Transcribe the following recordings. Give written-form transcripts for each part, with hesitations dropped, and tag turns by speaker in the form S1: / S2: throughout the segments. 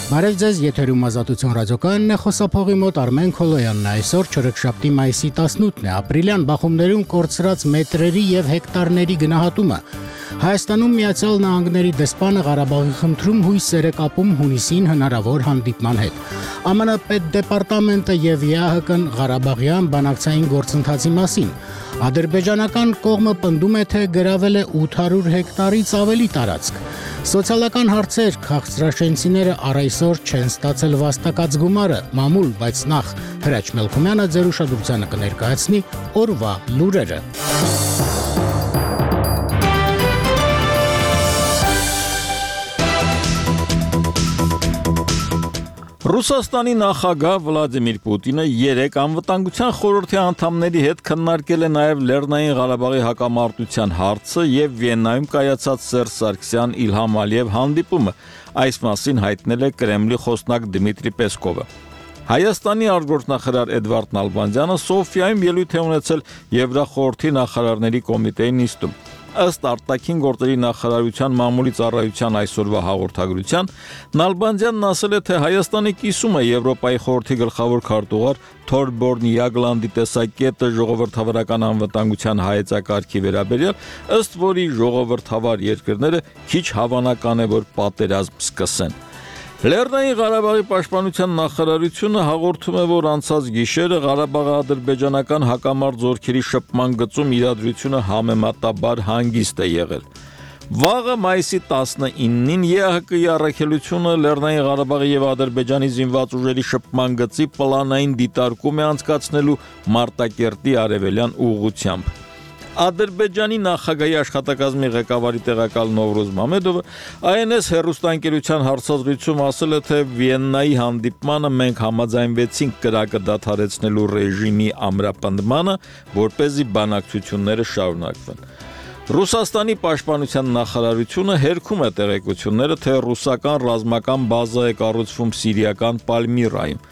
S1: Բարև ձեզ, եթերում Ազատություն ռադիոկայանն է, խոսափողի մոտ Արմեն Քոլոյանն է, այսօր չորեքշաբթի մայիսի 18-ն է, ապրիլյան բախումներում կորցրած մետրերի եւ հեկտարների գնահատումը։ Հայաստանում Միացյալ Նահանգների դեսպանը Ղարաբաղի խնդրում հույսեր է կապում հունիսին հնարավոր հանդիպման հետ։ ԱՄՆ պետդեպարտամենտը եւ ԵԱՀԿ-ն Ղարաբաղյան բանակցային գործընթացի մասին։ Ադրբեջանական կողմը պնդում է, թե գրավել է 800 հեկտարից ավելի տարածք։ Սոցիալական հարցեր քաղցրաշենցիները առայսօր չեն ստացել վաստակած գումարը, մամուլ, բայց նախ Հրաչ Մելքումյանը ձեր ուշադրությանը կներկայացնի օրվա լուրերը։
S2: Ռուսաստանի նախագահ Վլադիմիր Պուտինը երեկ անվտանգության խորհրդի անդամների հետ քննարկել է նաև Լեռնային Ղարաբաղի հակամարտության հարցը եւ Վիեննայում կայացած Սերժ Սարգսյան Իլհամ Ալիև հանդիպումը, այս մասին հայտնել է Կրեմլի խոսնակ Դմիտրի Պեսկովը։ Հայաստանի արտգործնախարար Էդվարդ Նալբանդյանը Սոֆիայում ելույթ է ունեցել Եվրախորհրդի նախարարների կոմիտեի նիստում։ Ըստ արտաքին գործերի նախարարության մամուլի ծառայության այսօրվա հաղորդագրության, Նալբանդյանն ասել է, թե Հայաստանի կիսումը Եվրոպայի խորհրդի գլխավոր քարտուղար Թորբորն Յագլանդի տեսակետը ժողովրդավարական անվտանգության հայեցակարգի վերաբերյալ, ըստ որի ժողովրդավար երկրները քիչ հավանական է, որ պատերազմ սկսեն։ Լեռնային Ղարաբաղի պաշտպանության նախարարությունը հաղորդում է, որ անցած գիշերը Ղարաբաղի ադրբեջանական հակամարտ զորքերի շփման գծում իրադրությունը համեմատաբար հանգիստ է եղել։ Վաղը մայիսի 19-ին ԵԱՀԿ-ի առաքելությունը Լեռնային Ղարաբաղի եւ Ադրբեջանի զինված ուժերի շփման գծի պլանային դիտարկում է անցկացնելու Մարտակերտի արևելյան ուղղությամբ։ Ադրբեջանի նախագահի աշխատակազմի ղեկավարի տեղակալ Նովրուզ Մամեդովը INS հեռուստաընկերության հարցազրույցում ասել է, թե Վիեննայի հանդիպմանը մենք համաձայնվեցինք կրակը դադարեցնելու ռեժիմի ամրապնդմանը, որպեսզի բանակցությունները շարունակվեն։ Ռուսաստանի պաշտպանության նախարարությունը հերքում է տեղեկությունները, թե ռուսական ռազմական բազա է կառուցվում սիրիական Պալմիրայում։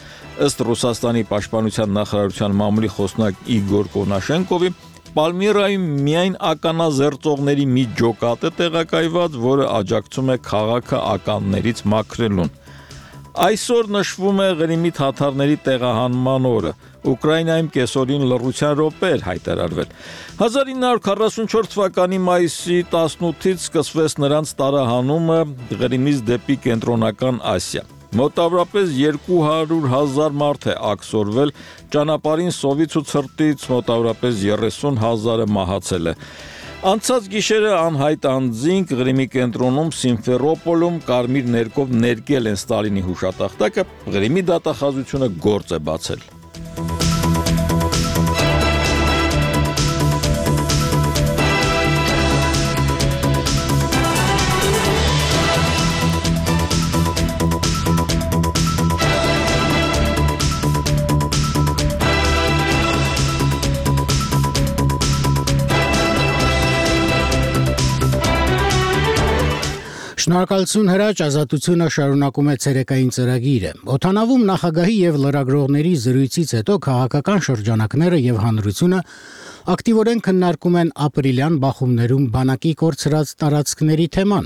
S2: Ըստ Ռուսաստանի պաշտպանության նախարարության մամուլի խոսնակ Իգոր Կոնաշենկովի, Պալմիրայում միայն ականազերծողների մի ջոկատ է տեղակայված, որը աջակցում է քաղաքը ականներից մաքրելուն։ Այսօր նշվում է Ղրիմի թաթարների տեղահանման օրը։ Ուկրաինայում կեսօրին լռության րոպե էր հայտարարվել։ 1944 թվականի մայիսի 18-ից սկսվեց նրանց տարահանումը Ղրիմից դեպի կենտրոնական Ասիա։ Մոտավորապես 200,000 մարդ է աքսորվել, ճանապարհին սովից ու ցրտից մոտավորապես 30,000-ը մահացել է։ Անցած գիշերը անհայտ անձինք Ղրիմի կենտրոնում Սիմֆերոպոլում կարմիր ներկով ներկել են Ստալինի հուշատախտակը, Ղրիմի դատախազությունը գործ է բացել։
S1: Շնորհակալություն Հրաչ, Ազատությունը շարունակում է ցերեկային ծրագիրը։ Օդանավում նախագահի եւ լրագրողների զրույցից հետո քաղաքական շրջանակները եւ հանրությունը ակտիվորեն քննարկում են ապրիլյան բախումներում բանակի կորցրած տարածքների թեման։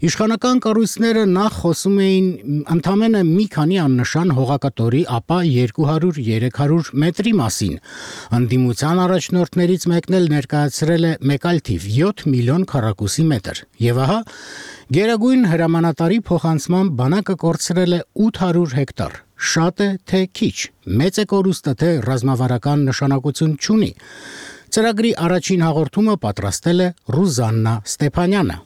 S1: Իշխանական կառույցները նախ խոսում էին ընդամենը մի քանի աննշան հողակտորի, ապա 200-300 մետրի մասին։ Անդիմության առաջնորդներից մեկն էլ ներկայացրել է մեկ այլ թիվ՝ 7 միլիոն քառակուսի մետր։ Եվ ահա Գերագույն հրամանատարի փոխանցման բանակը կորցրել է 800 հեկտար։ Շատ է, թե քիչ, մեծ է կորուստը, թե ռազմավարական նշանակություն չունի։ Ծրագրի առաջին հաղորդումը պատրաստել է Ռուզաննա Ստեփանյանը։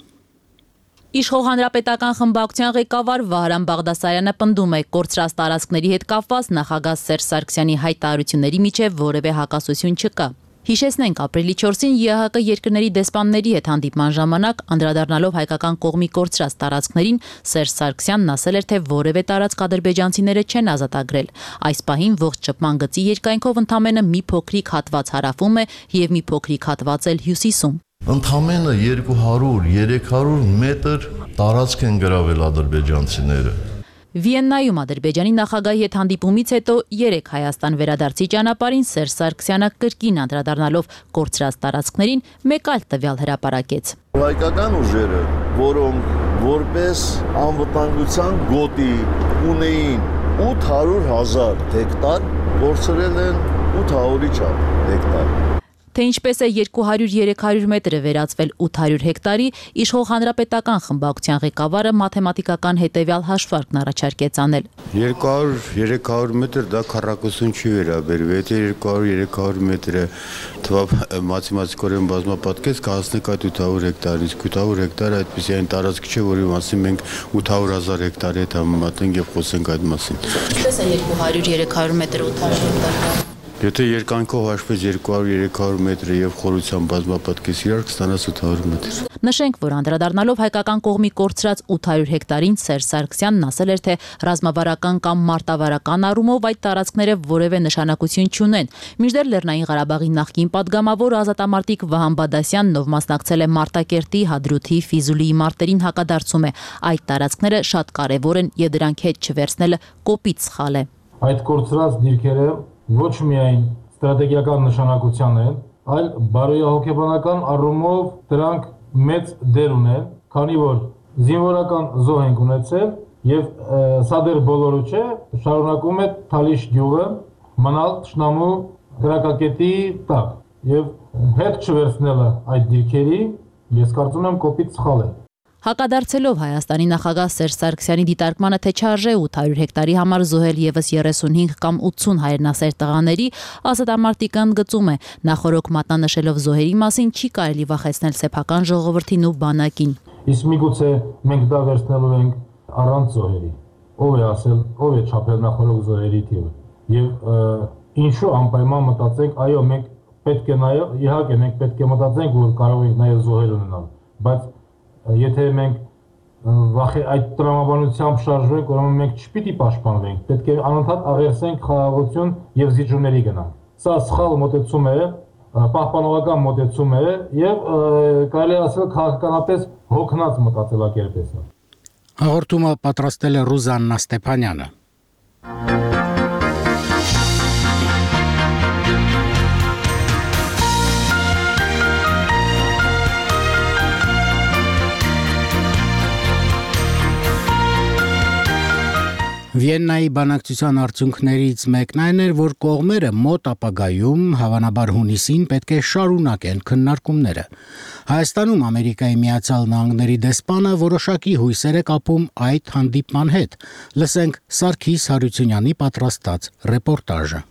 S3: Իշխող հանրապետական խմբակցության ղեկավար Վահրամ Բաղդասարյանը պնդում է, կորցրած տարածքների հետ կապված նախագահ Սերժ Սարգսյանի հայտարարությունների միջև որևէ հակասություն չկա։ Հիշեցնենք, ապրիլի 4-ին ԵԱՀԿ երկրների դեսպանների հետ հանդիպման ժամանակ անդրադառնալով հայկական կողմի կորցրած տարածքներին, Սերժ Սարգսյանն ասել էր, թե որևէ տարածք ադրբեջանցիները չեն ազատագրել։ Այս պահին ողջ շփման գծի երկայնքով ընդամենը մի փոքրիկ հատված հարավում է եւ մի փոքրիկ հատված էլ հյուսիսում։
S4: Ընդամենը 200-300 մետր տարածք են գրավել ադրբեջանցիները։
S3: Վիեննայում Ադրբեջանի նախագահի հետ հանդիպումից հետո երեք Հայաստան վերադարձի ճանապարհին Սերժ Սարգսյանը կրկին անդրադառնալով կորցրած տարածքներին մեկ այլ տվյալ հրապարակեց։
S4: Հայկական ուժերը, որոնք որպես անվտանգության գոտի ունեին 800,000 հեկտար, կորցրել են 800-ի չափ հեկտար։
S3: Թե ինչպես է 200-300 մետրը վերածվել 800 հեկտարի, իշխող հանրապետական խմբակցության ղեկավարը մաթեմատիկական հետևյալ հաշվարկն առաջարկեց անել։
S5: 200-300 մետր դա քառակուսուն չի վերաբերվի, եթե 200-300 մետրը մաթեմատիկորեն բազմապատկեց, կհասնեք այդ 800 հեկտարից, 800 հեկտարը այդպիսի այն տարածք չէ, որի մասին մենք 800,000 հեկտարի հետ համեմատենք եւ խոսենք այդ մասին։
S3: Ինչպես է 200-300 մետր 800 հեկտար։
S5: Եթե երկայնքով հաշվես 200-300 մետրը եւ խորությամբ բազմապատկես իրար կստանաս 800 մետր։
S3: Նշենք, որ անդրադառնալով հայկական կողմի կորցրած 800 հեկտարին Սերժ Սարգսյանն ասել էր, թե ռազմավարական կամ մարտավարական առումով այդ տարածքները որևէ նշանակություն չունեն։ Մինչդեռ Լեռնային Ղարաբաղի նախկին падգամավոր ազատամարտիկ Վահան Բադասյանն, ով մասնակցել է Մարտակերտի, Հադրութի, Ֆիզուլիի մարտերին, հակադարձում է։ Այդ տարածքները շատ կարևոր են եւ դրանք հետ չվերցնելը կոպիտ սխալ է։
S6: Այդ կորցրած դիրքերը ոչ միայն ստրատեգիական նշանակության են, այլ բարոյահոգեբանական առումով դրանք մեծ դեր ունեն, քանի որ զինվորական զոհ ենք ունեցել եւ սա դեռ բոլորը չէ, շարունակում է Թալիշ գյուղը մնալ թշնամու գրակակետի տակ եւ հետ չվերցնելը այդ դիրքերի, ես կարծում եմ կոպիտ սխալ է։
S3: Հակադարձելով Հայաստանի նախագահ Սերժ Սարգսյանի դիտարկմանը, թե չարժե 800 հեկտարի համար զոհել եւս 35 կամ 80 հայրենասեր տղաների, ազատամարտիկը ընդգծում է, նախորոք մատնանշելով զոհերի մասին չի կարելի վախեցնել սեփական ժողովրդին ու բանակին։
S6: Իսկ միգուցե մենք դա վերցնելու ենք առանց զոհերի։ Ով է ասել, ով է չափել նախորոք զոհերի թիվը։ Եվ ինչու անպայման մտածենք, այո, մենք պետք է նաեւ, իհարկե մենք պետք է մտածենք, որ կարող ենք նաեւ զոհեր ունենալ, բայց եթե մենք այդ տրամաբանությամբ շարժվենք, ուրեմն մենք չպիտի պաշտպանվենք, պետք է անընդհատ աղերսենք խաղաղություն եւ զիջումների գնանք։ Սա սխալ մոտեցում է, պահպանողական մոտեցում է եւ կարելի ասել քաղաքականապես հոգնած մտածելակերպ է սա։
S1: Հաղորդումը պատրաստել է Ռուզաննա Ստեփանյանը։ Վիեննայի բանակցության արդյունքներից մեկն այն էր, որ կողմերը մոտ ապագայում, հավանաբար հունիսին, պետք է շարունակեն քննարկումները։ Հայաստանում Ամերիկայի Միացյալ Նահանգների դեսպանը որոշակի հույսեր է կապում այդ հանդիպման հետ։ Լսենք Սարգիս Հարությունյանի պատրաստած ռեպորտաժը։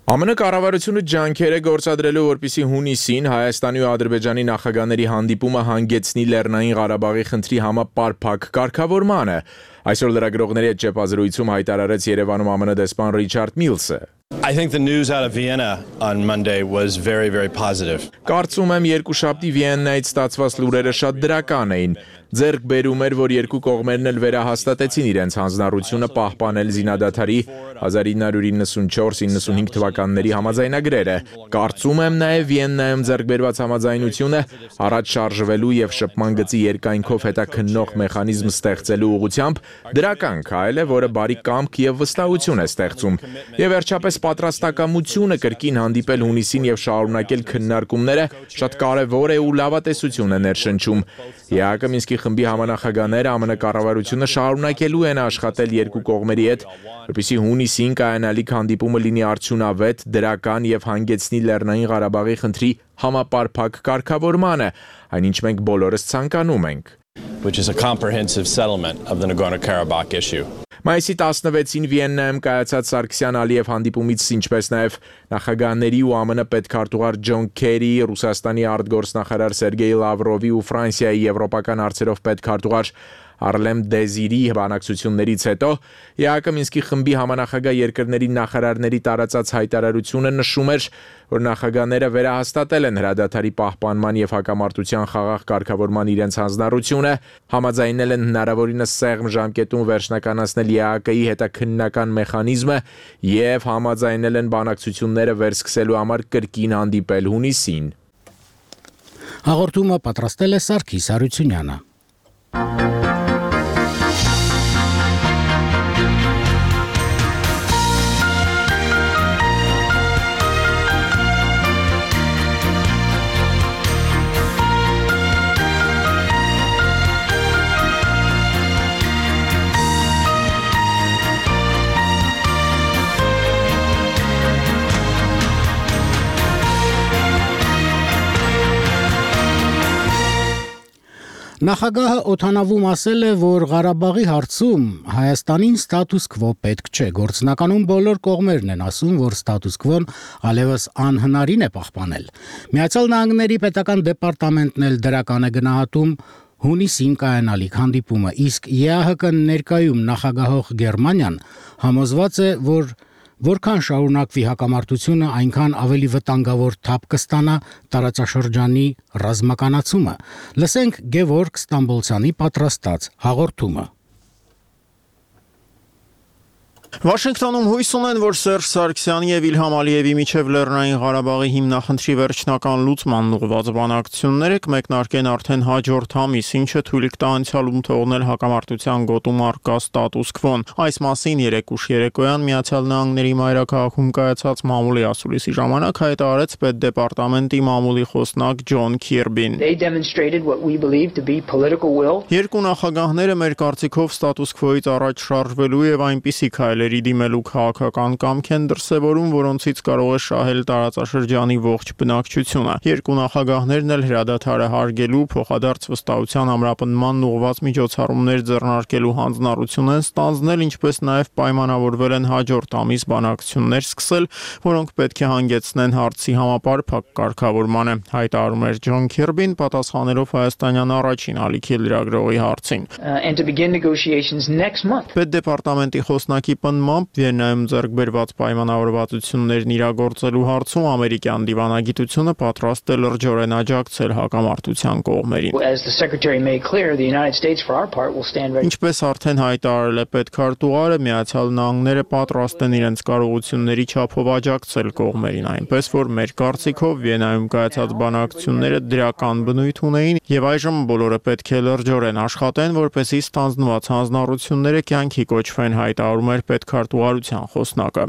S7: ԱՄՆ կառավարությունը ջանքեր է գործադրելու, որպեսզի հունիսին Հայաստանի ու Ադրբեջանի նախագահների հանդիպումը հանգեցնի Լեռնային Ղարաբաղի խնդրի համապարփակ կարգավորմանը։ Այսօր լրագրողների հետ ճեպազրույցում հայտարարեց Երևանում ԱՄՆ դեսպան Ռիչարդ Միլսը։
S8: I think the news out of Vienna on Monday was very, very positive.
S7: Կարծում եմ երկուշաբթի Վիեննայից ստացված լուրերը շատ դրական էին։ Ձեռք բերում էր, որ երկու կողմերն էլ վերահաստատեցին իրենց հանձնառությունը պահպանել զինադադարի 1994-95 թվականների համաձայնագրերը։ Կարծում եմ նաև Վիեննայում ձեռք բերված համաձայնությունը առաջ շարժվելու եւ շփման գծի երկայնքով հետաքննող մեխանիզմ ստեղծելու ուղղությամբ դրական քայլ է, որը բարի կամք եւ վստահություն է ստեղծում։ Եվ վերջապես պատրաստակամությունը կրկին հանդիպել հունիսին եւ շարունակել քննարկումները շատ կարեւոր է ու լավատեսություն է ներշնչում։ ԵԱՀԿ Մինսկի խմբի համանախագահները ԱՄՆ կառավարությունը շարունակելու են աշխատել երկու կողմերի հետ, որպեսզի հունիսին կայանալիք հանդիպումը լինի արդյունավետ, դրական եւ հանգեցնի Լեռնային Ղարաբաղի խնդրի համապարփակ կարգավորմանը, այնինչ մենք բոլորս ցանկանում ենք,
S8: which is a comprehensive settlement of the Nagorno-Karabakh issue.
S7: Մայիսի 16-ին Վիեննայում կայացած Սարգսյան-Ալիև հանդիպումից, ինչպես նաև նախագահների ու ԱՄՆ պետքարտուղար Ջոն Քերի, Ռուսաստանի արտգործնախարար Սերգեյ Լավրովի ու Ֆրանսիայի եվրոպական հարցերով պետքարտուղար Արլեմ Դեզիրի բանակցություններից հետո ԵԱՀԿ Մինսկի խմբի համանախագահ երկրների նախարարների տարածած հայտարարությունը նշում էր, որ նախագահները վերահաստատել են հրադադարի պահպանման եւ հակամարտության խաղաղ կարգավորման իրենց հանձնառությունը, համաձայնել են հնարավորինս սեղմ ժամկետում վերջնականացնել ԵԱՀԿ-ի հետաքննական մեխանիզմը եւ համաձայնել են բանակցությունները վերսկսելու համար կրկին հանդիպել հունիսին։
S1: Հաղորդումը պատրաստել է Սարգիս Հարությունյանը։ Նախագահը օդանավում ասել է, որ Ղարաբաղի հարցում Հայաստանին ստատուս քվո պետք չէ։ Գործնականում բոլոր կողմերն են ասում, որ ստատուս քվոն այլևս անհնարին է պահպանել։ Միացյալ Նահանգների պետական դեպարտամենտն էլ դրական է գնահատում հունիսին կայանալիք հանդիպումը, իսկ ԵԱՀԿ ներկայում նախագահող Գերմանիան համոզված է, որ որքան շարունակվի հակամարտությունը, այնքան ավելի վտանգավոր թափ կստանա տարածաշրջանի ռազմականացումը։ Լսենք Գևորգ Ստամբոլցյանի պատրաստած հաղորդումը։
S9: Վաշինգտոնում հույս ունեն, որ Սերժ Սարգսյանի եւ Իլհամ Ալիևի միջև Լեռնային Ղարաբաղի հիմնախնդրի վերջնական լուծման ուղղված բանակցությունները կմեկնարկեն արդեն հաջորդ ամիս, ինչը թույլ կտա անցյալում թողնել հակամարտության գոտում առկա ստատուս քվոն։ Այս մասին երեկ ուշ երեկոյան Միացյալ Նահանգների մայրաքաղաքում կայացած մամուլի ասուլիսի ժամանակ հայտարարեց պետդեպարտամենտի մամուլի խոսնակ Ջոն Քիրբին։ Երկու նախագահները մեր կարծիքով ստատուս քվոից առաջ շարժվելու եւ այնպիսի քայլերի դիմելու քաղաքական կամք են դրսևորում, որոնցից կարող է շահել տարածաշրջանի ողջ բնակչությունը։ Երկու նախագահներն էլ հրադադարը հարգելու, փոխադարձ վստահության ամրապնդման ուղղված միջոցառումներ ձեռնարկելու հանձնառություն են ստանձնել, ինչպես նաեւ պայմանավորվել են հաջորդ ամիս բանակցություններ սկսել, որոնք պետք է հանգեցնեն հարցի համապարփակ կարգավորմանը, հայտարարում էր Ջոն Քիրբին, պատասխանելով հայաստանյան առաջին ալիքի լրագրողի հարցին։ Պետդեպարտամենտի խոսնակի պնդմամբ Վիեննայում ձեռք բերված պայմանավորվածություններն իրագործելու հարցում ամերիկյան դիվանագիտությունը պատրաստ է լրջորեն աջակցել հակամարտության կողմերին։ Ինչպես արդեն հայտարարել է պետքարտուղարը, Միացյալ Նահանգները պատրաստ են իրենց կարողությունների չափով աջակցել կողմերին, այնպես որ մեր կարծիքով Վիեննայում կայացած բանակցությունները դրական բնույթ ունեին եւ այժմ բոլորը պետք է լրջորեն աշխատեն, որպեսզի ստանձնված հանձնառությունները կյանքի կոչվեն, հայտարարում էր պետքարտուղարության խոսնակը։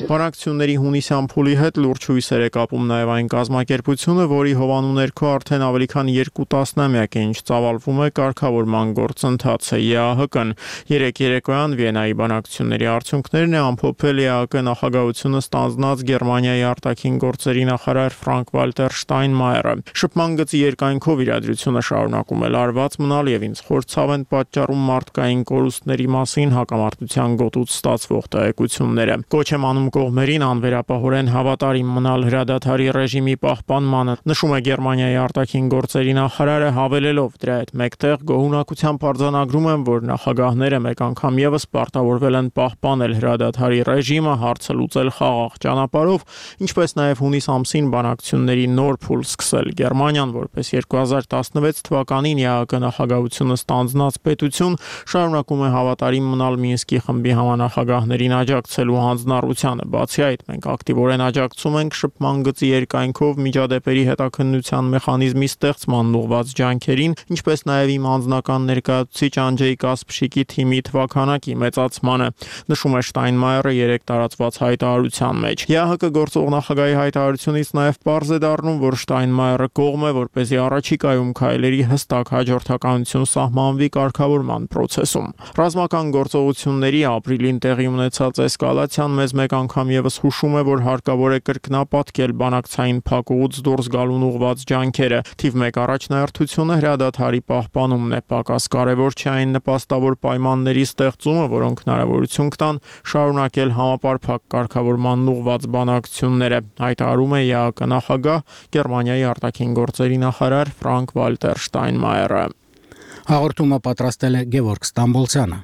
S9: Բանակցությունների հունիսյան փուլի հետ լուրջ հույսեր է կապում նաեւ այն կազմակերպությունը, որի հովանու ներքո արդեն ավելի քան 2 տասնամյակ է ինչ ծավալվում է կարգավորման գործընթացը ԵԱՀԿ-ն։ Երեկ երեկոյան Վիեննայի բանակցությունների արդյունքներն է ամփոփել ԵԱՀԿ նախագահությունը ստանձնած Գերմանիայի արտաքին գործերի նախարար Ֆրանկ-Վալտեր Շտայնմայերը։ Շփման գծի երկայնքով իրադրությունը շարունակում է լարված մնալ եւ ինձ խորցավ են պատճառում մարդկային կորուստների մասին հակամարտության գոտուց ստացվող տեղեկությունները։ Կոչ եմ անում կողմերին անվերապահորեն հավատարիմ մնալ հրադադարի ռեժիմի պահպանմանը, նշում է Գերմանիայի արտաքին գործերի նախարարը, հավելելով դրա հետ մեկտեղ գոհունակությամբ արձանագրում եմ, որ նախագահները մեկ անգամ եւս պարտավորվել են պահպանել հրադադարի ռեժիմը, հարցը լուծել խաղաղ ճանապարհով, ինչպես նաեւ հունիս ամսին բանակցությունների նոր փուլ սկսել։ Գերմանիան, որպես 2016 թվականին ԵԱՀԿ նախագահությունը ստանձնած պետություն, շարունակում է հավատարիմ մնալ Մինսկի խմբի համանախագահներին աջակցելու հանձնառությանը։ Բացի այդ, մենք ակտիվորեն աջակցում ենք շփման գծի երկայնքով միջադեպերի հետաքննության մեխանիզմի ստեղծման ուղղված ջանքերին, ինչպես նաև իմ անձնական ներկայացուցիչ Անջեյ Կասպշիկի թիմի թվաքանակի մեծացմանը, նշում է Շտայնմայերը երեկ տարածված հայտարարության մեջ։ ԵԱՀԿ գործող նախագահի հայտարարությունից նաև պարզ է դառնում, որ Շտայնմայերը կողմ է, որպեսզի առաջիկայում քայլերի հստակ հաջորդականություն սահմանվի կարգավորման process-ում։ Ռազմական գործողությունների ապրիլին տեղի ունեցած էսկալացիան մեզ մեկ անգամ եւս հուշում է, որ հարկավոր է կրկնապատկել բանակցային փակուղուց դուրս գալուն ուղղված ջանքերը։ Թիվ 1 առաջնահերթությունը հրադադարի պահպանումն է, պակաս կարևոր չէ այն նպաստավոր պայմանների ստեղծումը, որոնք հնարավորություն կտան շարունակել համապարփակ կարգավորման ուղղված բանակցությունները, հայտարարում է ԵԱՀԿ նախագահ Գերմանիայի արտաքին գործերի նախարար Ֆրանկ-Վալտեր Շտայնմայերը։
S1: Հաղորդումը պատրաստել է Գևորգ Ստամբոլցյանը։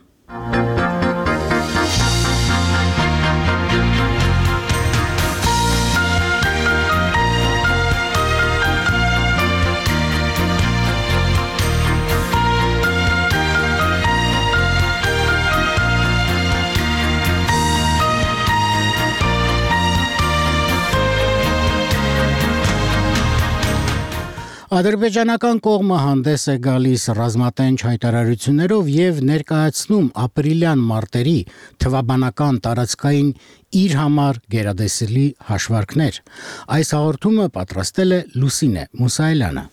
S1: Ադրբեջանական կողմը հանդես է գալիս ռազմատենչ հայտարարություններով եւ ներկայացնում ապրիլյան մարտերի թվաբանական տարածքային իր համար գերադեսելի հաշվարկներ։ Այս հաղորդումը պատրաստել է Լուսինե Մուսայելյանը։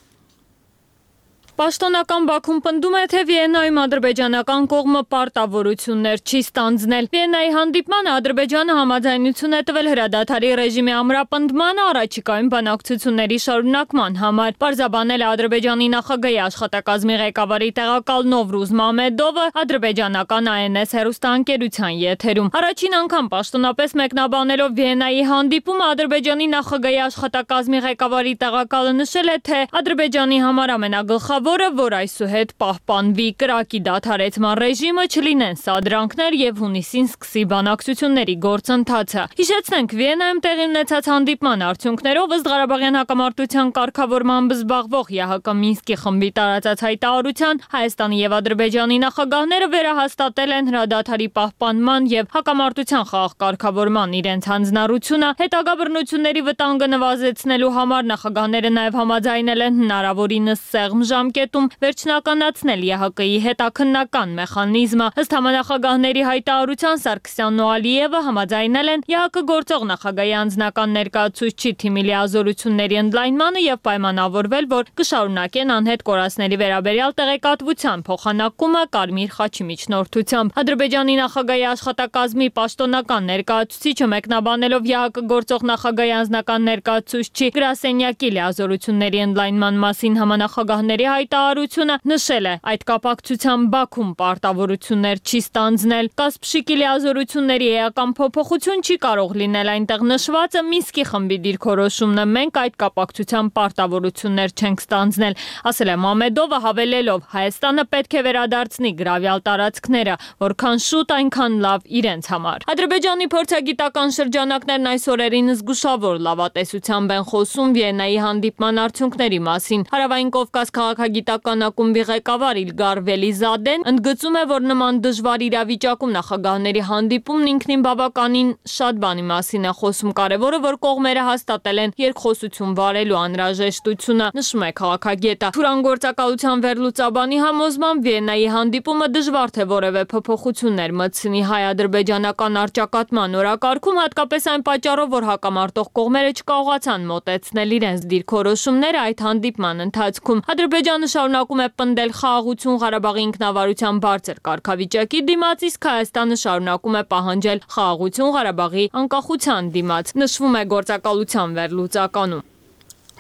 S10: Պաշտոնական Բաքուն պնդում է, թե Վիեննայում ադրբեջանական կողմը պարտավորություններ չի ստանձնել։ Վիեննայի հանդիպմանը Ադրբեջանը համաձայնություն է տվել հրադադարի ռեժիմի ամրապնդմանը առաջիկայում բանակցությունների շարունակման համար։ Պարզաբանել է Ադրբեջանի նախագահի աշխատակազմի ղեկավարի տեղակալ Նովրուզ Մամեդովը ադրբեջանական ANS հեռուստաընկերության եթերում։ Առաջին անգամ պաշտոնապես մեկնաբանելով Վիեննայի հանդիպումը Ադրբեջանի նախագահի աշխատակազմի ղեկավարի տեղակալը նշել է, թե Ադրբեջանի համար ամենագլխավորը, որ այսուհետ պահպանվի կրակի դադարեցման ռեժիմը, չլինեն սադրանքներ եւ հունիսին սկսի բանակցությունների գործընթացը։ Հիշեցնենք, Վիեննայում տեղի ունեցած հանդիպման արդյունքներով ըստ Ղարաբաղյան հակամարտության կարգավորմամբ զբաղվող ՀՀԿ Մինսկի խմբի տարածած հայտարարության Հայաստանի եւ Ադրբեջանի նախագահները վերահաստատել են հրադադարի պահպանման եւ հակամարտության խաղաղ կարգավորման իրենց հանձնառությունը, հետագա բռնությունների վտանգը նվազեցնելու համար նախագահները նաեւ համաձայնել են հնարավորինս սեղմ ժամկետում վերջնականացնել ՀՀԿ-ի հետաքննական մեխանիզմը։ Ըստ համանախագահների հայտարարության Սարգսյանն ու Ալիևը համաձայնել են ՀՀԿ գործող նախագահի անձնական ներկայացուցիչի թիմի լիազորությունների ընդլայնմանը եւ պայմանավորվել, որ կշարունակեն անհետ կորածների վերաբերյալ տեղեկատվության փոխանակումը Կարմիր խաչի միջնորդությամբ։ Ադրբեջանի նախագահի աշխատակազմի պաշտոնական ներկայացուցիչը մեկնաբանելով ՀՀԿ գործող նախագահի անձնական ներկայացուցիչի գրասենյակի լիազորությունների ընդլայնման մասին համանախագահների հայտարարությունը նշել է, այդ կապակցությամբ Բաքուն պարտավորություններ չի ստանձնել։ Կասպշիկի լիազորությունների էական փոփոխություն չի կարող լինել այնտեղ նշվածը Մինսկի խմբի դիրքորոշումն է, մենք այդ կապակցությամբ պարտավորություններ չենք ստանձնել, ասել է Մամեդովը, հավելելով Հայաստանը պետք է վերադարձնի գրավյալ տարածքները, որքան շուտ այնքան լավ իրենց համար։ Ադրբեջանի փորձագիտական շրջանակներն այս օրերին զգուշավոր լավատեսությամբ են խոսում Վիեննայի հանդիպման արդյունքների մասին։ Հարավային Կովկաս քաղաքագիտական ակումբի ղեկավար Իլգար Վելիզադեն ընդգծում է, որ նման դժվար իրավիճակում նախագահների հանդիպումն ինքնին բավականին շատ բանի մասին է խոսում։ Կարևորը, որ կողմերը հաստատել են երկխոսություն վարելու անհրաժեշտությունը, նշում է քաղաքագետը։ Թուրան գործակալության վերլուծաբանի համոզմամբ Վիեննայի հանդիպումը դժվար թե որևէ փոփոխություններ մտցնի հայ-ադրբեջանական առճակատման օրակարգում, հատկապես այն պատճառով, որ հակամարտող կողմերը չկարողացան մոտեցնել իրենց դիրքորոշումները այդ հանդիպման ընթացքում։ Ադրբեջանը շարունակում է պնդել խաղաղություն Ղարաբաղի ինքնավարության բարձր կարգավիճակի դիմաց, իսկ Հայաստանը շարունակում է պահանջել խաղաղություն Ղարաբաղի անկախության դիմաց, նշվում է գործակալության վերլուծականում։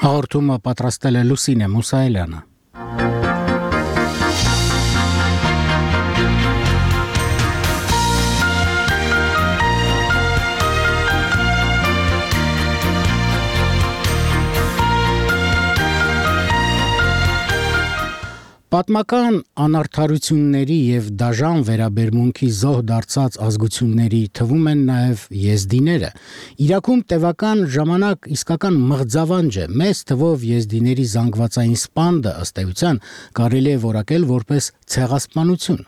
S1: Հաղորդումը պատրաստել է Լուսինե Մուսայելյանը։ Պատմական անարդարությունների եւ դաժան վերաբերմունքի զոհ դարձած ազգությունների թվում են նաեւ եզդիները։ Իրաքում տևական ժամանակ իսկական մղձավանջ է։ Մեծ թվով եզդիների զանգվածային սպանդը ըստ էության կարելի է որակել որպես ցեղասպանություն։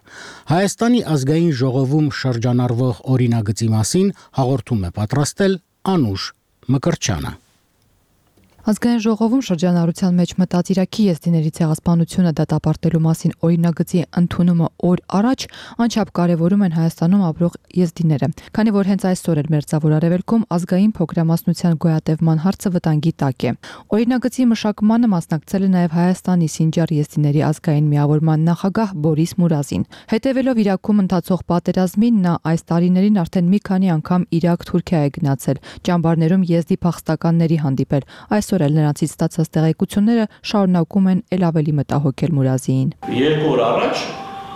S1: Հայաստանի ազգային ժողովում շրջանառվող օրինագծի մասին հաղորդում է պատրաստել Անուշ Մկրտչյանը։
S11: Ազգային ժողովում շրջանառության մեջ մտած Իրաքի եզդիների ցեղասպանությունը դատապարտելու մասին օրինագծի ընդունումը օր առաջ անչափ կարևորում են Հայաստանում ապրող եզդիները, քանի որ հենց այսօր էլ Մերձավոր Արևելքում ազգային փոքրամասնության գոյատևման հարցը վտանգի տակ է։ Օրինագծի մշակմանը մասնակցել է նաև Հայաստանի Սինջար եզդիների ազգային միավորման նախագահ Բորիս Մուրազին։ Հետևելով Իրաքում ընթացող պատերազմին, նա այս տարիներին արդեն մի քանի անգամ Իրաք-Թուրքիա է գնացել, ճամբարներում եզդի փախստականների հանդիպել։ Այսօր էլ նրանցից ստացած տեղեկությունները շարունակում են ել ավելի մտահոգել Մուրազիին։
S12: 2 օր առաջ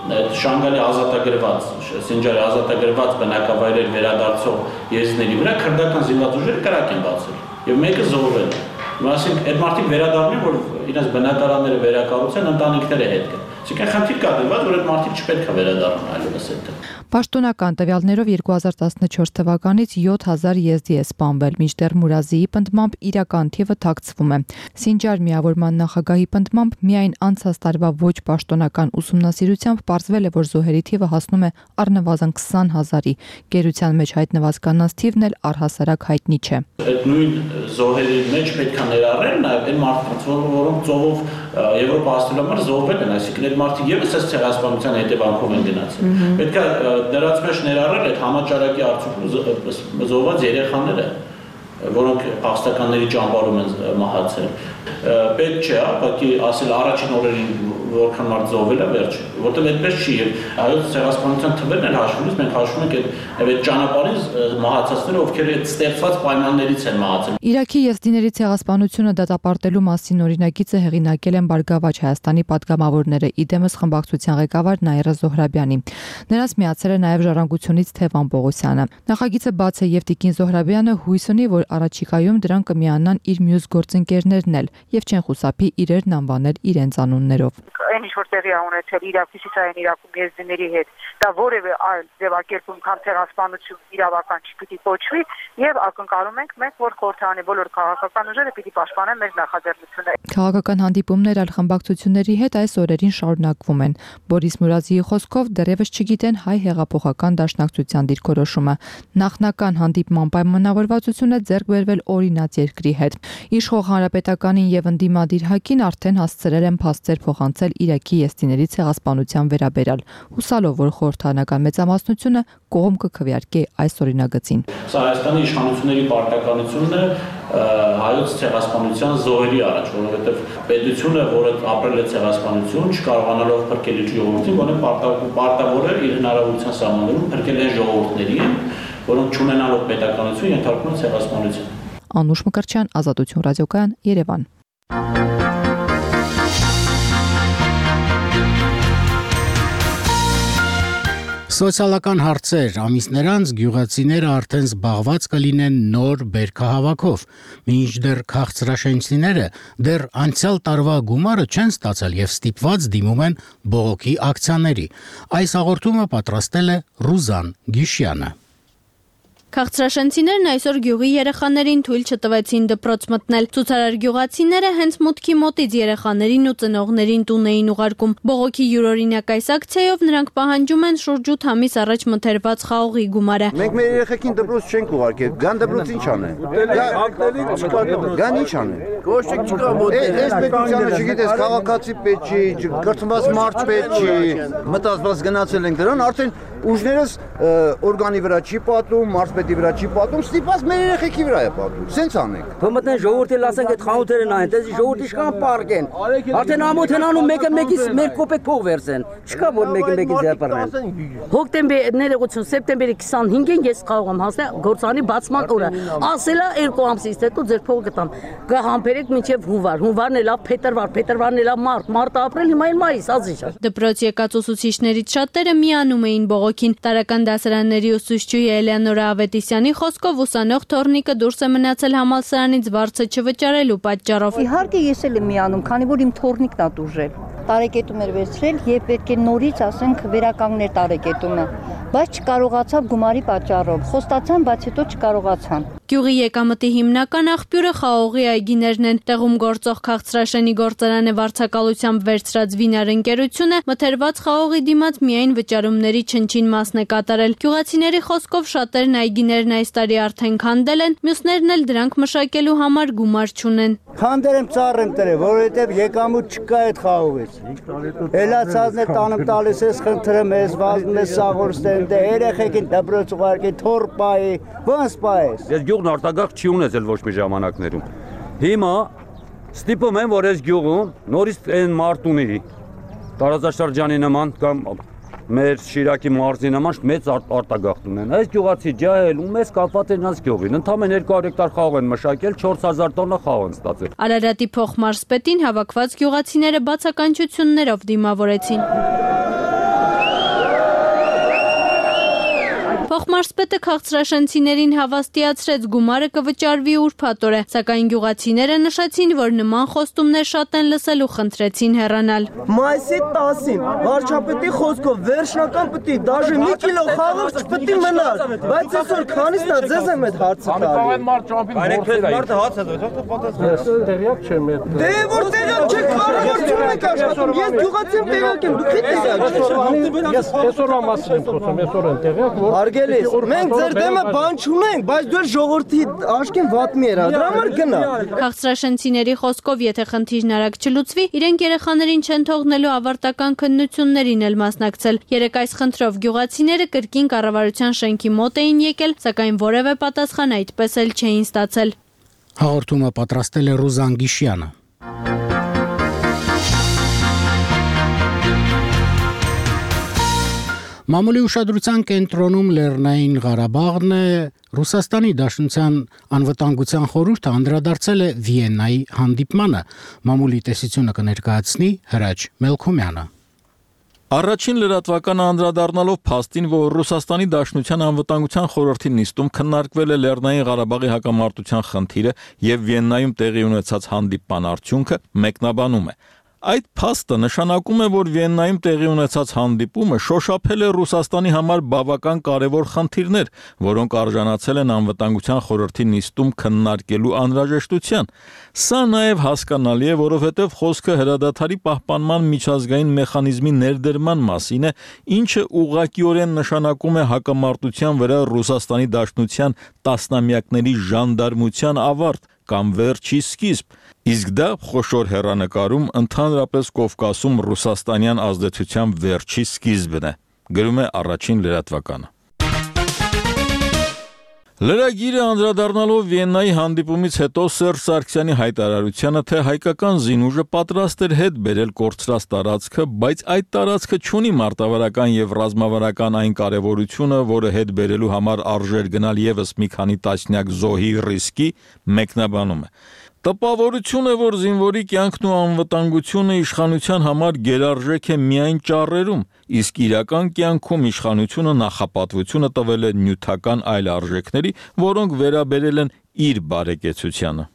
S12: Շանգալի ազատագրված, Սինջարի ազատագրված բնակավայրեր վերադարձող եզդիների վրա քրդական զինված ուժերը կրակ են բացել եւ մեկը զոհվել է։ Այսինքն այդ մարդիկ վերադառնում են, որ իրենց բնակարանները վերակառուցեն, ընտանիքները հետ գան։ Այսինքն խնդիր կա դրված, որ այդ մարդիկ չպետք է վերադառնան այլևս այդտեղ։
S11: Պաշտոնական տվյալներով 2014 թվականից 7000 եզդի է սպանվել, մինչդեռ Մուրազիի պնդմամբ իրական թիվը թաքցվում է։ Սինջար միավորման նախագահի պնդմամբ միայն անցած տարվա ոչ պաշտոնական ուսումնասիրությամբ պարզվել է, որ զոհերի թիվը հասնում է առնվազն 20000-ի։ Գերության մեջ հայտնված կանանց թիվն էլ առհասարակ հայտնի չէ։
S12: Այդ նույն զոհերի մեջ պետք է ներառել նաև այն մարդկանց, որոնք ծովով Եվրոպա հասնելու համար զոհվել են, այսինքն այդ մարդիկ եւս այս ցեղասպանության հետևանքով են գնացել։ Պետք է դրանց մեջ ներառել այդ համաճարակի արդյունքում զոհված երեխաները, որոնք փախստականների ճամբարում են մահացել, Պետք չէ, ուղղակի ասել առաջին օրերին որքան մարդ զոհվել է վերջ, որտեղ այդպես չի եւ հայոց ցեղասպանության թվերն էլ հաշվելիս մենք հաշվում ենք այդ ճանապարհին մահացածները, ովքեր այդ ստեղծված պայմաններից են մահացել։
S11: Իրաքի եզդիների ցեղասպանությունը դատապարտելու մասին օրինագիծը հեղինակել են Բարգավաճ Հայաստանի պատգամավորները, իդեմս խմբակցության ղեկավար Նաիրա Զոհրաբյանի։ Նրանց միացել է նաև Ժառանգությունից Թևան Պողոսյանը։ Նախագիծը բաց է եւ Տիկին Զոհրաբյանը հույս ունի, որ առաջիկայում դրան կմիանան իր մյուս գործընկերներն էլ եւ չեն խուսափի իրերն անվանել իրենց անուններով։
S13: Այն ինչ որ տեղի ունեցել Իրաքի Սիսիային Իրաքում եզդիների հետ, դա որևէ այլ ձևակերպում քան ցեղասպանություն իրավական չպիտի կոչվի եւ ակնկալում ենք մենք, որ խորհրդանի բոլոր քաղաքական ուժերը պիտի պաշտպանեն մեր նախաձեռնությունները։
S11: Քաղաքական հանդիպումներ այլ խմբակցությունների հետ այս օրերին շարունակվում են։ Բորիս Մուրադիի խոսքով դեռևս չգիտեն հայ հեղափոխական դաշնակցության դիրքորոշումը։ Նախնական հանդիպման պայմանավորվածությունը ձեռք բերվել օրինաց երկրի հետ։ Իշխող հանրապետականին եւ ընդդիմադիր ՀԱԿ-ին արդեն հասցրել են փաստեր փոխանցել Իրաքի եզդիների ցեղասպանության վերաբերյալ, հուսալով, որ խորհրդանական մեծամասնությունը կողմ կքվեարկի այս օրինագծին։
S12: Սա Հայաստանի իշխանությունների պարտականությունն է հայոց ցեղասպանության զոհերի առաջ, որովհետև պետությունը, որը ապրել է ցեղասպանություն, չկարողանալով փրկել իր ժողովրդին, որը պարտավոր է իր հնարավորության սահմաններում փրկել այն ժողովուրդներին, որոնք չունենալով պետականություն ենթարկվում են ցեղասպանության։
S11: Անուշ Մկրտչյան, Ազատություն ռադիոկայան, Երևան։
S1: Սոցիալական հարցեր ամիսներ անց գյուղացիները արդեն զբաղված կլինեն նոր բերքահավաքով, մինչդեռ քաղցրաշենցիները դեռ անցյալ տարվա գումարը չեն ստացել եւ ստիպված դիմում են բողոքի ակցիաների։ Այս հաղորդումը պատրաստել է Ռուզան Գիշյանը։
S14: Քաղցրաշենցիներն այսօր գյուղի երեխաներին թույլ չտվեցին դպրոց մտնել։ Ցուցարար գյուղացիները հենց մուտքի մոտից երեխաներին ու ծնողներին տուն էին ուղարկում։ Բողոքի յուրօրինակ այս ակցիայով նրանք պահանջում են շուրջ 8 ամիս առաջ մթերված խաղողի գումարը։
S15: Մենք մեր երեխեքին դպրոց չենք ուղարկել, գան դպրոց ինչ անեն։ Գան ինչ անեն։ Կոշիկ չկա մոդել։ Այս պետությանը չգիտես, քաղաքացի պետք չի, կրթված մարդ պետք չի։ Մտածված գնացել ենք դրան, արդեն ուժներս օրգանի վրա չի պատում, մարզպետի վրա չի պատում, ստիպված մեր երեխեքի վրա է պատում։ Սենց անենք։
S16: Փոմտնեն ժողովրդի լասենք այդ խանութերն այն, դες ժողովրդի շքան պարկեն։ Արդեն ամոթ են անում մեկը մեկից մեր կոպեկ փող վերցեն։ Չկա որ մեկը մեկից ձեռբռնեն։ Հոկտեմբերի ներողություն, սեպտեմբերի 25-ին ես կարող եմ հասնել գործանի բացման օրը։ Ասելա 2 ամսից հետո ձեր փողը կտամ։ Կհամբերեք մինչև հունվար, հունվարն էլ փետրվար, փետրվարն էլ մարտ, ապրիլ, հիմա էլ մայիս, ազիժ։
S14: Դպրոց եկած ուսուցիչներից շատերը միանում էին բողոքին։ Տարական դասարանների ուսուցչուհի Էլեոնորա Ավետիսյանի խոսքով ուսանող Թորնիկը դուրս է մնացել համալսարանից վարձը չվճարելու պատճառով։
S17: Իհարկե ես էլ եմ միանում, քանի որ իմ թորնիկն է դուժել։ Տարեկետում էր վերցրել եւ պետք է նորից ասենք վերականգներ տարեկետումը, բայց չկարողացավ գումարի պատճառով։ Խոստացան, բայց հետո չկարողացան։
S14: Գյուղի եկամտի հիմնական աղբյուրը խաղողի այգիներն են։ Տեղում գործող Քաղցրաշենի գործարանը վարձակալությամբ վերցրած Վինար ընկերությունը մթերված խաղողի դիմաց միայն վճարումների չնչին մասն է կատարել։ Գյուղացիների խոսքով շատերն այգիներն այս տարի արդեն քանդել են, մյուսներն էլ դրանք մշակելու համար գումար չունեն։
S18: Քանդել եմ ծառ եմ տրել, որովհետև եկամուտ չկա այդ խաղողից։ Էլացածն է տանım տալիս ես, խնդրեմ ես, վազում ես սաղորստեն, դե երեխեքին դպրոց ուղարկի, թոր պայի, ոնց պայես։
S19: Ես գյուղն արտագաղթ չի ունեցել ոչ մի ժամանակներում։ Հիմա ստիպում եմ, որ այս գյուղում նորից այն մարտունի տարածաշրջանի նման կամ մեր Շիրակի մարզի նման մեծ արտագաղթ ունեն։ Այս գյուղացի ջահել ու մեզ կապված են այս գյուղին։ Ընդամենը 200 հեկտար խաղող են մշակել, 4000 տոննա խաղող են ստացել։
S14: Արարատի փոխմարզպետին հավաքված գյուղացիները բացականչություններով դիմավորեցին։ Փոխմարզպետը քաղցրաշենցիներին հավաստիացրեց գումարը կվճարվի ուրբաթ օրը, սակայն գյուղացիները նշեցին, որ նման խոստումներ շատ են լսել ու խնդրեցին հեռանալ։
S18: Մայիսի 10-ին վարչապետի խոսքով վերջնական պիտի դաժե մի կիլո խաղող չպիտի մնալ, բայց այսօր քանիսն է ձեզ եմ այդ հարցը տալի։
S19: Մարդը հաց է
S18: տեղյակ չեմ այդ։ Դե որ տեղյակ չեք, կառավարություն եք աշխատում, ես գյուղացի եմ տեղյակ եմ, դուք եք տեղյակ։ Ես այսօրվա մասին եմ խոսում, այսօր եմ տեղյակ, որ մենք ձեր դեմը բան չունենք, բայց դու ժողովրդի աշկին վատ մի էր, դրա համար գնա։
S14: Քաղցրաշենցիների խոսքով, եթե խնդիրն արագ չլուծվի, իրենք երեխաներին չեն թողնելու ավարտական քննություններին էլ մասնակցել։ Երեկ այս խնդրով գյուղացիները կրկին կառավարության շենքի մոտ էին եկել, սակայն որևէ պատասխան այդպես էլ չէին ստացել։
S1: Հաղորդումը պատրաստել է Ռուզան Գիշյանը։ Մամուլի ուշադրության կենտրոնում Լեռնային Ղարաբաղն է, Ռուսաստանի Դաշնության անվտանգության խորհուրդը անդրադարձել է Վիեննայի հանդիպմանը, մամուլի տեսությունը կներկայացնի Հրաչ Մելքումյանը։
S2: Առաջին լրատվականը անդրադառնալով փաստին, որ Ռուսաստանի Դաշնության անվտանգության խորհրդի նիստում քննարկվել է Լեռնային Ղարաբաղի հակամարտության խնդիրը եւ Վիեննայում տեղի ունեցած հանդիպման արդյունքը, մեկնաբանում է. Այդ փաստը նշանակում է, որ Վիեննայում տեղի ունեցած հանդիպումը շոշափել է Ռուսաստանի համար բավական կարևոր խնդիրներ, որոնք արժանացել են անվտանգության խորհրդի նիստում քննարկելու անհրաժեշտության։ Սա նաև հասկանալի է, որովհետև խոսքը հրադադարի պահպանման միջազգային մեխանիզմի ներդրման մասին է, ինչը ուղղակիորեն նշանակում է հակամարտության վրա Ռուսաստանի Դաշնության տասնամյակների ժանդարմության ավարտ կամ վերջի սկիզբ, իսկ դա խոշոր հեռանկարում ընդհանրապես Կովկասում ռուսաստանյան ազդեցության վերջի սկիզբն է, գրում է առաջին լրատվականը։ Լրագիրը անդրադառնալով Վիեննայի հանդիպումից հետո Սերժ Սարգսյանի հայտարարությանը, թե հայկական զինուժը պատրաստ էր հետ բերել կորցրած տարածքը, բայց այդ տարածքը չունի մարտավարական եւ ռազմավարական այն կարեւորությունը, որը հետ բերելու համար արժեր գնալ եւս մի քանի տասնյակ զոհի ռիսկի, մեկնաբանում է. Տպավորություն է, որ զինվորի կյանքն ու անվտանգությունը իշխանության համար գերարժեք է միայն ճառերում, իսկ իրական կյանքում իշխանությունը նախապատվությունը տվել է նյութական այլ արժեքների, որոնք վերաբերել են իր բարեկեցությանը։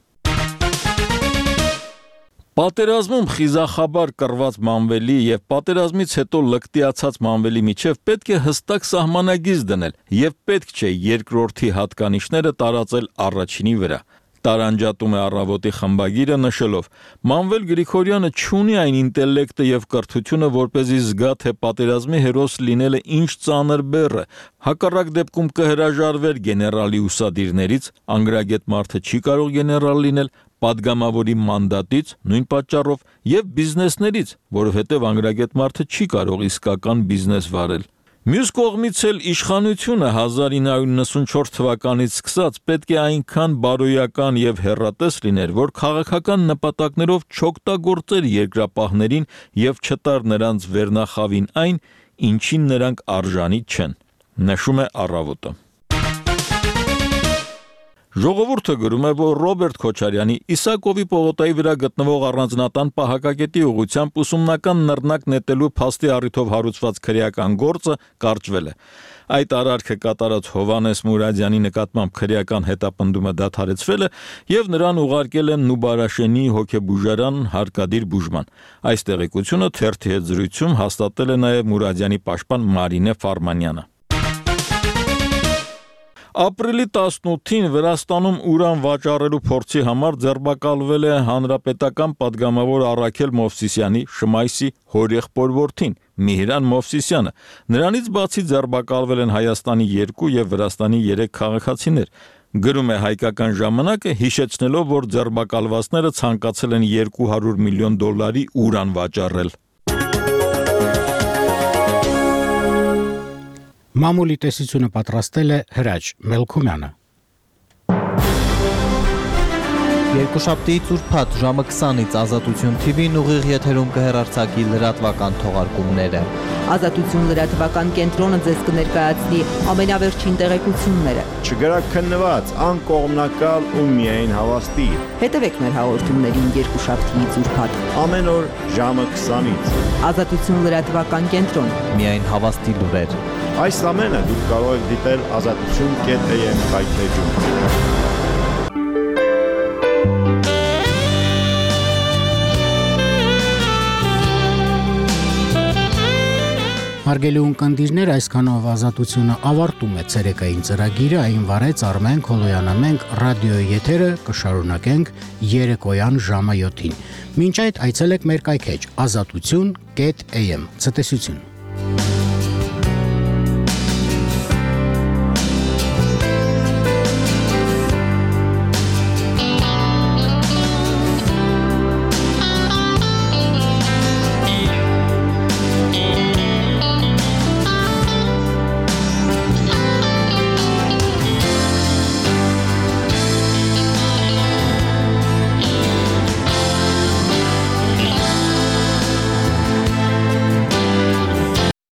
S2: Պատերազմում խիզախաբար կռված մանվելի եւ պատերազմից հետո լկտիացած մանվելի միջև պետք է հստակ սահմանագիծ դնել եւ պետք չէ երկրորդի հատկանիշները տարածել առաջինի վրա։ Տարանջատում է Առավոտի խմբագիրը նշելով. Մանվել Գրիգորյանը չունի այն ինտելեկտը եւ կրթությունը, որպեսզի զգա, թե պատերազմի հերոս լինելը ինչ ծանր բեռ է։ Հակառակ դեպքում կհրաժարվեր գեներալի ուսադիրներից, անգրագետ մարդը չի կարող գեներալ լինել, падգամավորի մանդատից, նույն պատճառով, եւ բիզնեսներից, որովհետեւ անգրագետ մարդը չի կարող իսկական բիզնես վարել։ Մյուս կողմից էլ իշխանությունը 1994 թվականից սկսած պետք է այնքան բարոյական եւ հեռատես լիներ, որ քաղաքական նպատակներով չօգտագործեր երկրապահներին եւ չտար նրանց վերնախավին այն, ինչին նրանք արժանի չեն, նշում է Առավոտը։ Ժողովուրդը գրում է, որ Ռոբերտ Քոչարյանի Իսակովի պողոտայի վրա գտնվող առանձնատան պահակակետի ուղղությամբ ուսումնական նռնակ նետելու փաստի առիթով հարուցված քրեական գործը կարճվել է։ Այդ արարքը կատարած Հովանես Մուրադյանի նկատմամբ քրեական հետապնդումը դադարեցվել է եւ նրան ուղարկել են Նուբարաշենի հոգեբուժարան հարկադիր բուժման։ Այս տեղեկությունը թերթի հետ զրույցում հաստատել է նաեւ Մուրադյանի պաշտպան Մարինե Ֆարմանյանը։ Ապրիլի 18-ին Վրաստանում ուրան վաճառելու փորձի համար ձերբակալվել է հանրապետական падգամավոր Առաքել Մովսիսյանի Շմայսի հորեղբոր որդին Միհրան Մովսիսյանը։ Նրանից բացի ձերբակալվել են Հայաստանի 2 եւ Վրաստանի 3 քաղաքացիներ։ Գրում է Հայկական ժամանակը, հիշեցնելով, որ ձերբակալվածները ցանկացել են $200 միլիոն ուրան վաճառել։
S1: Մամուլի տեսությունը պատրաստել է Հրաչ Մելքումյանը։
S20: Երկուշաբթիից ուրբաթ ժամը 20-ից Ազատություն TV-ն ուղիղ եթերում կհեռարձակի լրատվական թողարկումները։
S21: Ազատություն լրատվական կենտրոնը ձեզ կներկայացնի ամենավերջին տեղեկությունները։
S22: Չգրակ քննված, անկողմնակալ ու միայն հավաստի։
S21: Հետևեք մեր հաղորդումներին երկուշաբթիից ուրբաթ
S22: ամեն օր ժամը 20-ից։
S21: Ազատություն լրատվական կենտրոն։
S20: Միայն հավաստի լուրեր։
S22: Այս ամենը դուք կարող եք դիտել azatutun.am վայրէջում։
S1: Հարգելի ունկնդիրներ, այսքանով Ազատությունը ավարտում է ցերեկային ծրագիրը, այն վարեց Արմեն Քոլոյանը։ Մենք ռադիոյի եթերը կշարունակենք երեկոյան ժամը 7-ին։ Մինչ այդ այցելեք մեր կայքեջ azatutun.am։ Ցտեսություն։